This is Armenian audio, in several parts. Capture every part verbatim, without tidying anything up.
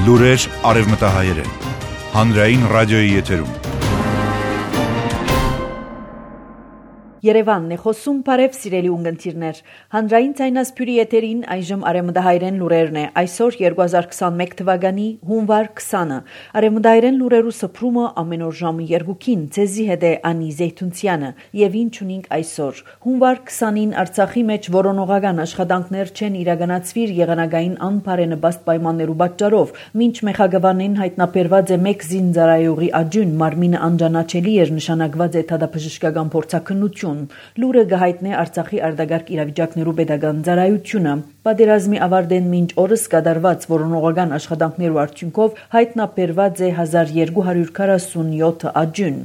Լուրեր արևմտահայերեն։ Հանրային ռադիոյի եթերում։ Երևանն է խոսում, բարև սիրելի ունգընտիրներ։ Հանրային ցայնասփյուրի եթերին այժմ արևմտահայերեն լուրերն է։ Այսօր երկու հազար քսանմեկ թվականի հունվար քսանը։ Արևմտահայերեն լուրերու սփռումը ամեն օր ժամը երկուքին ցեզի հետ է Անի Զեյթունցյանը։ Եվ ինչ ունենք այսօր։ Հունվար քսանին Արցախի մեջ որոնողական աշխատանքներ չեն իրականացվիր եղանակային անբարենպաստ պայմաններու պատճառով, մինչ մեխագավանին հայտնաբերված է մեկ զինծառայողի աջուն, մարմինը անջանաչելի էր, նշանակված է դատաբժշկական փորձաքննություն։ Լուրը գահիտնե Արցախի արտագաղթ իրավիճակներու պետական ծառայությունը։ Պատերազմի ավարտեն մինչ օրս կատարված որոնողական աշխատանքներու արդյունքով հայտնաբերված է հազար երկու հարյուր քառասունյոթ աջուն։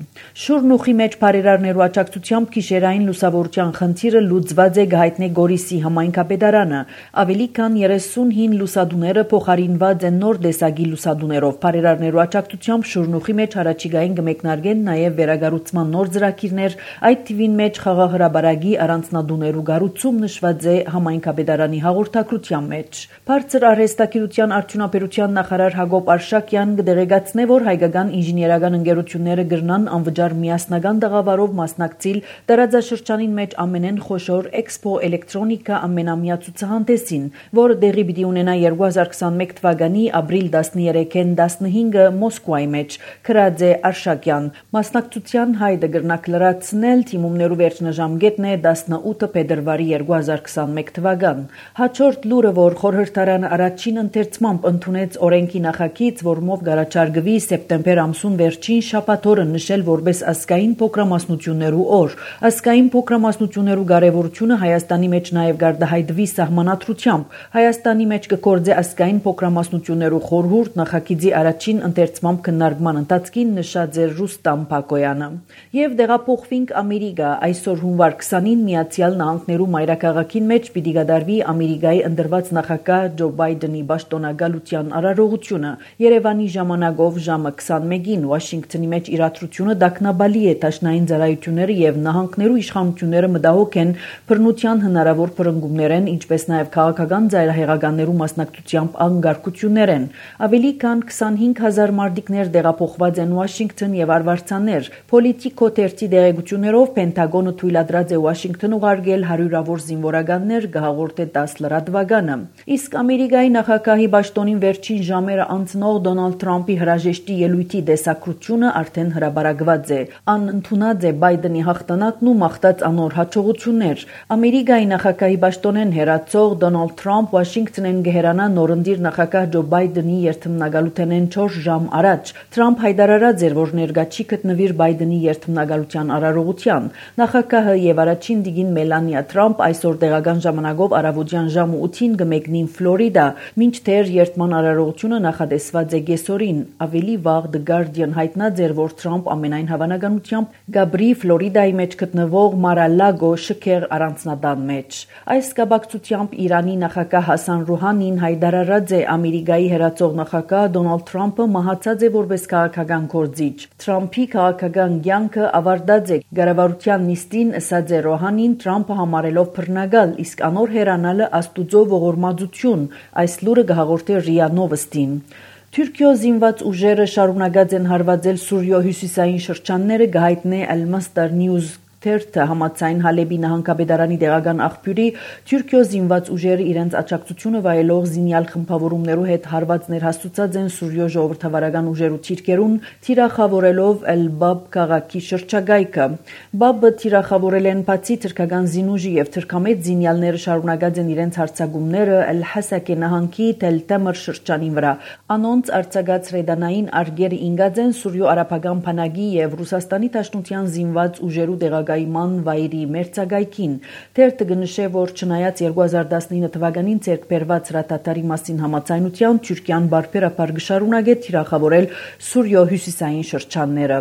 Շուրնուխի մեջ բարերարներու աջակցությամբ գիշերային լուսավորության խնդիրը լուծված է գահիտնե Գորիսի համայնքապետարանը։ Ավելի քան երեսունհինգ լուսադուները փոխարինված են նոր տեսակի լուսադուներով։ Բարերարներու աջակցությամբ Շուրնուխի մեջ առաջիկային կմեկնարկեն նաև վերագառուցման նոր ծրագիրներ, այդ թիվին մեջ խաղահրաբարագի առանձնադուներու գառուցում նշված է համայնքապետարանի հաղորդակցության մեջ։ Բարձր արհեստագիտության արդյունաբերության նախարար Հակոբ Արշակյան կդեղեկացնե, որ հայկական ինժեներական ընկերությունները կրնան անվճար միասնական տաղավարով մասնակցել տարածաշրջանին մեջ ամենեն խոշոր Էքսպո էլեկտրոնիկա ամենամյա ցուցահանդեսին, որը տեղի պիտի ունենա երկու հազար քսանմեկ թվականի ապրիլ տասներեքին տասնհինգը Մոսկվայի մեջ, գրած է Արշակյան։ Մասնակցության հայտը կրնակ լրացնել թիմումներու վերջնաժամկետն է տասնութ փետրվարի երկու հազար քսանմեկ թվական։ Հաջորդ լուրը, որ խորհրդարանը առաջին ընթերցմամբ ընդունեց օրենքի նախագիծ, որմով գարաչարգվի սեպտեմբեր ամսուն վերջին շաբաթօրը նշել որպես ազգային փոքրամասնություններու օր։ Ազգային փոքրամասնություններու կարևորությունը Հայաստանի մեջ նաև գարդահայտվի սահմանադրությամբ։ Հայաստանի մեջ կգործե ազգային փոքրամասնություններու խորհուրդ նախագիծի առաջին ընթերցմամբ քննարկման ընթացքին նշած է Ռուստամ Փակոյանը։ Եվ դեղափոխվինք Ամերիկա։ Այսօր հունվար քսանին Միացյալ Նահանգներու մայրաքաղաքին մեջ պիտի կատարվի Ամերիկայի ընտրված նախագահ Ջո Բայդենի պաշտոնագալության արարողությունը։ Երևանի ժամանակով ժամը քսանմեկին Վաշինգտոնի մեջ իրադրությունը դակնաբալի է դաշնային ծառայությունները եւ նահանգներու իշխանությունները մտահոգ են բռնության հնարավոր բռնկումներեն, ինչպես նաեւ քաղաքական ծայրահեղականներու մասնակցությամբ անկարգություններեն։ Ավելի քան քսանհինգ հազար մարդիկներ տեղափոխված են Վաշինգտոն եւ արվարձաններ։ Պոլիտիկո թերթի դեղեցություններով Պենտագոնը թույլատրած է Վաշինգտոն ուղարկել հարյուրավոր զինվորականներ գահաղորդե դաս լրատվականը։ Իսկ Ամերիկայի նախագահի պաշտոնին վերջին ժամերը անցնող Դոնալդ Թրամփի հրաժեշտի ելույթի տեսակրությունը արդեն հրաբարակված է։ Անընդունած է Բայդենի հաղթանակն ու մաղթած անոր հաջողություններ։ Ամերիկայի նախագահի պաշտոնեն հերացող Դոնալդ Թրամփ Վաշինգտոնեն գեհրանա նորընտիր նախագահ Ջո Բայդենի երթմնագալութենեն չորս ժամ առաջ։ Թրամփ հայտարարած էր, որ ներկա չի գտնվիր Բայդենի երթմնագալության արարողության։ Նախագահը եւ առաջին դիգին Մելանիա Թրամփ այսօր տեղական ժամանակով առավոտյան ժամը ութին կմեկնին Ֆլորիդա, մինչդեռ երթման արարողությունը նախատեսված է կեսօրին։ Ավելի վաղ The Guardian հայտնած էր, որ Թրամփ ամենայն հավանականությամբ գաբրի Ֆլորիդայի մեջ գտնվող Մարալագո շքեղ առանձնատան մեջ։ Այս կապակցությամբ Իրանի նախագահ Հասան Ռուհանին հայտարարած է Ամերիկայի հերացող նախագահ Դոնալդ Թրամփը մահացած է որպես քաղաքական գործիչ։ Թրամփի քաղաքական կյանքը ավարտած է Գարավարության նիստին ըսած է Ռոհանին Թրամփը համարելով բռնագալ, իսկ անոր հերանալը աստուծո ողորմածություն։ Այս լուրը կհաղորդի ՌԻԱ Նովոստին։ Թուրքիո զինված ուժերը շարունակած են հարվածել Սուրիո հյուսիսային շրջանները, գահիտնե Al-Masdar News թերթը համաձայն Հալեբի նահանգապետարանի տեղական աղբյուրի Թուրքիո զինված ուժերը իրենց աջակցությունը վայելող զինյալ խմբավորումներու հետ հարվածներ հաստուցած են Սուրիո ժողովրդավարական ուժերու թիրքերուն, թիրախավորելով Էլ-Բաբ քաղաքի շրջակայքը։ Բաբը թիրախավորել են բացի թրքական զինուժի եւ թրքամետ զինյալները շարունակած են իրենց հարձակումները Էլ-Հասակե նահանգի Թել-Թեմր շրջանին վրա։ Անոնց արձակած ռեդանային արգերը ինգած են Սուրիո արաբական բանակի եւ Ռուսաստանի Դաշնության զինված ուժերու տեղակայման վայրի մերձակայքին։ Թերթը կնշե, որ չնայած երկու հազար տասնինը թվականին ձեռք բերված հրատատարի մասին համաձայնության Թուրքիան բարբերաբար կշարունակե թիրախավորել Սուրիո հյուսիսային շրջանները։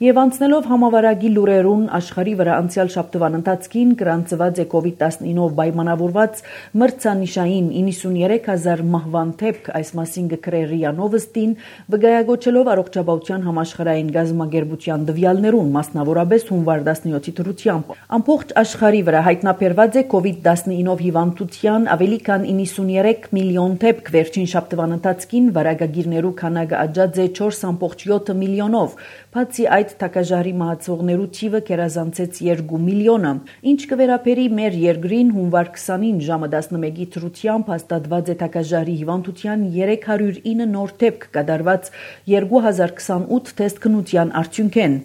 Եվ անցնելով համավարակի լուրերուն աշխարհի վրա անցյալ շաբթվան ընթացքին գրանցված է կովիդ տասնինով պայմանավորված մրցանիշային իննսուններեք հազար մահվան դեպք, այս մասին կգրե ՌԻԱ Նովոստին, վկայակոչելով առողջապահության համաշխարհային գազամագերբության տվյալներուն, մասնավորապես հունվար տասնյոթի մեկի դրությամբ։ Ամբողջ աշխարհի վրա հայտնաբերված է կովիդ տասնինը հիվանդության ավելի քան իննսուններեք միլիոն դեպք, վերջին շաբթվան ընթացքին վարակագիրներու քանակը աճած է չորս կoma յոթ միլիոնով, բացի այդ թակաժարի մահացողներու թիվը կերազանցեց երկու միլիոնը։ Ինչ կվերապերի մեր երկրին, հունվար քսանին ժամը տասնմեկի դրությամբ հաստատված է թակաժարի հիվանդության երեք հարյուր ինը նոր դեպք կատարված երկու հազար քսանութ թեստքնության արդյունքեն,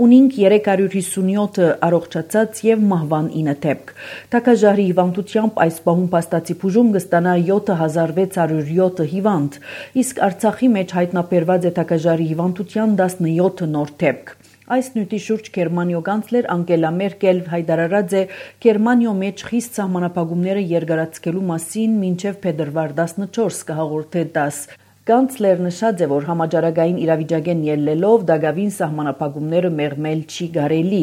ունինք երեք հարյուր հիսունյոթ առողջացած եւ մահվան ինը դեպք։ Թակաժարի հիվանդությամբ այս պահում փաստացի բուժում կստանա յոթ հազար վեց հարյուր յոթ հիվանդ, իսկ Արցախի մեջ հայտնաբերված է թակաժարի հիվանդության տասնյոթ նոր դեպք։ Այս նյութի շուրջ Գերմանիո կանցլեր Անգելա Մերկել հայտարարած է Գերմանիո մեջ խիստ սահմանափակումները երկարացկելու մասին մինչև փետրվար տասնչորս կհաղորդե տաս։ Կանցլերն նշած է, որ համաճարակային իրավիճակեն ելնելով դակավին սահմանափակումները մեղմել չի կարելի։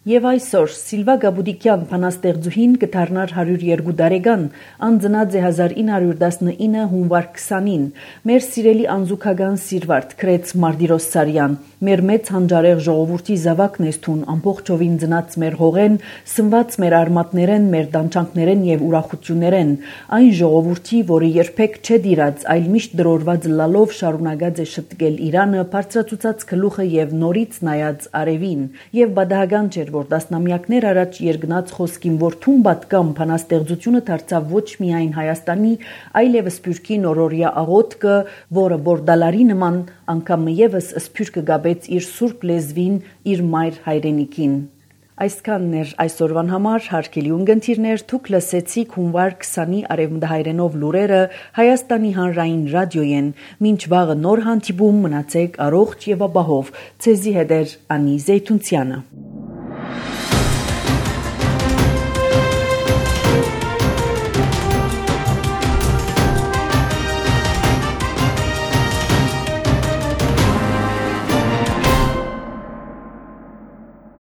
Եվ այսօր Սիլվա Գաբուդիկյան բանաստեղծուհին կդառնար հարյուր երկու տարեկան, անձնած է հազար ինը հարյուր տասնինը հունվար քսանին։ Մեր սիրելի անզուգական սիրվարդ գրեց Մարտիրոս Սարյան, մեր մեծ հանճարեղ ժողովրդի զավակն ես թուն, ամբողջովին ծնած մեր հողեն, սնված մեր արմատներեն, մեր տանջանքներեն եւ ուրախություններեն, այն ժողովրդի, որը երբեք չէ դիրած, այլ միշտ դրորված լալով շարունակած է շտկել Իրանը, բարձրացուցած գլուխը եւ նորից նայած արևին, եւ բադահական չէր, որ տասնամյակներ առաջ երկնած խոսքին, որ թուն պատկամ բանաստեղծությունը դարձավ ոչ միայն Հայաստանի, այլև Սփյուռքի նորորյա աղոթքը, որը բորդալարի նման անգամ եւս Սփյուռքը գաբեց իր սուրբ լեզվին, իր մայր հայրենիքին։ Այսքանն էր այսօրվան համար, հարգելի ունկնդիրներ, դուք լսեցիք հունվար քսանի արևմտահայերենով լուրերը Հայաստանի հանրային ռադիոյեն։ Մինչ վաղը նոր հանդիպում, մնացեք առողջ եւ ապահով։ Ցեզի հետ է Անի Զեյթունցյանը։